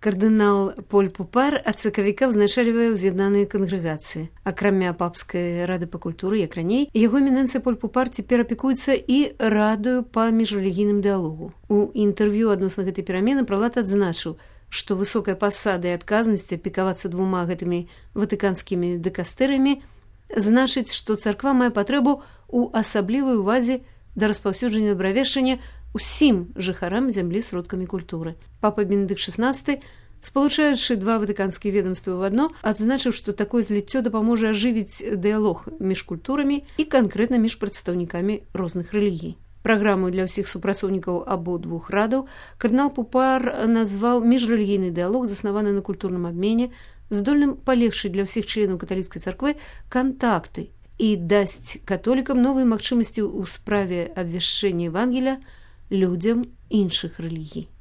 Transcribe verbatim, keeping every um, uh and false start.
Кардынал Поль Пупар ад сакавіка ўзначальвае ўз'яднаныя кангрэгацыі. Акрамя папскай рады па культуры, як раней, яго эмінэнцыя Поль Пупар цяпер апекуецца і радаю па міжрэлігійным дыялогу. У інтэрв'ю адносна гэтай перамены пралат адзначыў, што высокая пасада і адказнасць апекавацца двума гэтымі ватыканскімі дэкастэрыямі значыць, што царква мае патрэбу ў асаблівай увазе да распаўсюджання добравешчання усім жыхарам зямлі сродкамі культуры. Папа Бенедыкт шаснаццаты, спалучаючы два ватыканскія ведомствы ў адно, адзначыў, што такое зліццё дапаможа ажывіць дыялог між культурамі і канкрэтна між прадстаўнікамі розных рэлігій. Праграму для ўсіх супрацоўнікаў абодвух радаў кардынал Пупар назваў міжрэлігійны дыялог, заснаваны на культурным абмене, здольным палегчыць для ўсіх членаў каталіцкай царквы кантакты і дасць католікам новыя магчымасці ў справе абвяшчэння Евангелія людзям іншых рэлігій.